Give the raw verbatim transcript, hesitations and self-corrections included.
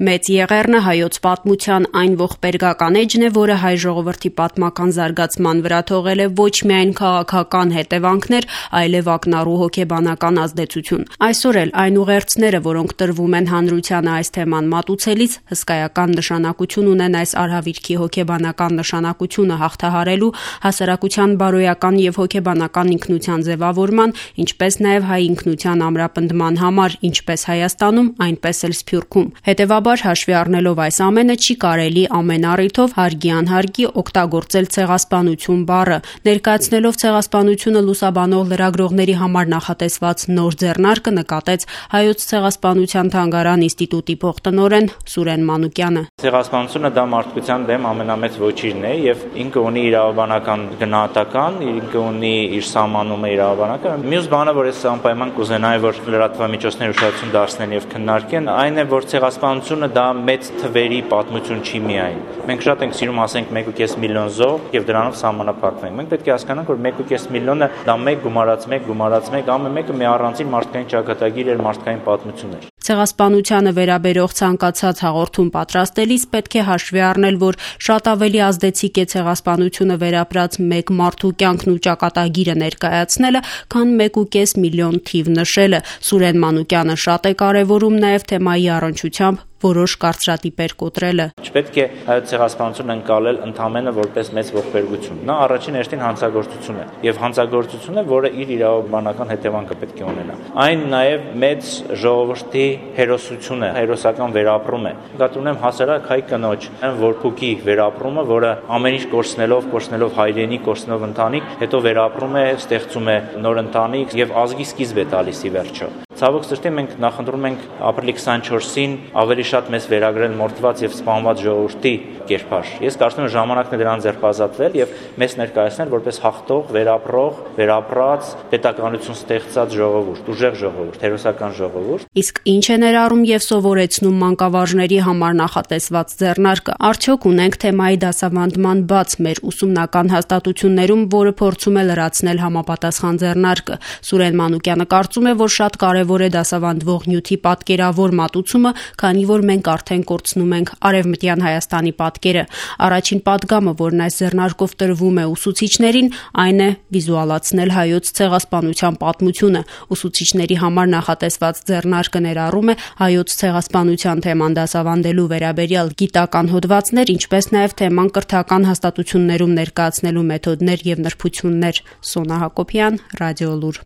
Մեծ Եղեռնը հայոց պատմության այն ողբերգական էջն է, որը հայ ժողովրդի պատմական զարգացման վրա թողել է ոչ միայն քաղաքական հետևանքներ, այլև ակնառու հոգեբանական ազդեցություն։ Այսօր էլ այն ուղերձները, որոնք տրվում են հանրությանը այս թեման մատուցելիս, հսկայական նշանակություն ունեն այս արհավիրքի հոգեբանական նշանակությունը հաղթահարելու, հասարակության բարոյական եւ հոգեբանական ինքնության ձևավորման, ինչպես նաեւ հայ ինքնության ամրապնդման համար, ինչպես Հայաստանում, այնպես էլ Սփյուռքում։ Հետևաբար հաշվի առնելով այս ամենը չի կարելի ամեն առիթով հարգի անհարգի օգտագործել ցեղասպանություն բառը, ներկայացնելով ցեղասպանությունը լուսաբանող լրագրողների համար նախատեսված նոր ձեռնարկը նկատեց Հայոց ցեղասպանության թանգարան ինստիտուտի փոխտնօրեն Սուրեն Մանուկյանը։ Ցեղասպանությունը դա մարդկության դեմ ամենամեծ ոչիրն է եւ ինքը ունի իրավաբանական գնահատական, ինքը ունի իր սահմանումը իրավաբանական։ Մյուս բանը, որ ես անպայման կուզենայի, որ լրատվամիջոցները ուշադրություն դարձնեն եւ քննարկեն, այն է, որ ցեղասպանությունը դա մեծ թվերի պատմություն չի միայն։ Մենք շատ ենք սիրում ասենք մեկ ու կես միլիոն զոհ եւ դրանով սահմանափակվենք։ Մենք պետք է հասկանանք, որ մեկ ու կես միլիոնը դա մեկ գումարած մեկ գումարած մեկ ամեն մեկը մի առանձին մարդկային ճակատագիր էր, մարդկային պատմություն էր։ Ցեղասպանությանը վերաբերող ցանկացած հաղորդում պատրաստելիս պետք է հաշվի առնել, որ շատ ավելի ազդեցիկ է ցեղասպանությունը վերապրած մեկ մարդու կյանքն ու ճակատագիրը ներկայացնելը, քան մեկ ու կես միլիոն թիվ նշելը։ Սուրեն Մանուկյանը շատ է կարևորում նաև թեմայի առնչությամբ որոշ կարծրատիպեր կոտրելը։ Չպետք է հայոց ցեղասպանությունը ընկալել ընդամենը որպես մեծ ողբերգություն։ Նա առաջին հերթին հանցագործություն է, եւ հանցագործություն է, որը իր իրավաբանական հետևանքը պետք է ունենա։ Այն նաեւ մեծ ժողովրդի հերոսություն է, հերոսական վերապրում է։ Նկատի ունեմ հասարակ հայ կնոջ որփուկի վերապրումը, որը ամեն ինչ կորցնելով, կորցնելով հայրենիք, կորցնելով ընտանիք, հետո վերապրում է, ստեղծում է նոր ընտանիք եւ ազգի սկիզբ է տալիս ի վերջո։ Ցավոք սրտի մենք նախընտրում ենք ապրիլի քսանչորսին ավելի շատ մեզ վերագրել մորթված եւ սպանված ժողովրդի կերպար։ Ես կարծում եմ ժամանակն է դրան ձերբազատվել եւ մեզ ներկայացնել որպես հաղթող, վերապրող, վերապրած, պետականություն ստեղծած ժողովուրդ, ուժեղ ժողովուրդ, հերոսական ժողովուրդ։ Իսկ ինչ է ներառում եւ սովորեցնում մանկավարժների համար նախատեսված ձեռնարկը։ Արդյոք ունենք թեմայի դասավանդման բաց մեր ուսումնական հաստատություններում, որը փորձում է լրացնել համապատասխան ձեռնարկը։ Սուրեն Մանուկյանը կարծում է, որ շատ կարևոր է դասավանդվող նյութի պատկերավոր մատուցումը, քանի որ մենք արդեն կորցնում ենք Արևմտյան Հայաստանի պատկերը։ Առաջին պատգամը, որն այս ձեռնարկով տրվում է ուսուցիչներին, այն է վիզուալացնել հայոց ցեղասպանության պատմությունը։ Ուսուցիչների համար նախատեսված ձեռնարկը ներառում է հայոց ցեղասպանության թեման դասավանդելու վերաբերյալ գիտական հոդվածներ, ինչպես նաև թեման կրթական հաստատություններում ներկայացնելու մեթոդներ եւ նրբություններ։ Սոնա Հակոբյան, Ռադիոլուր։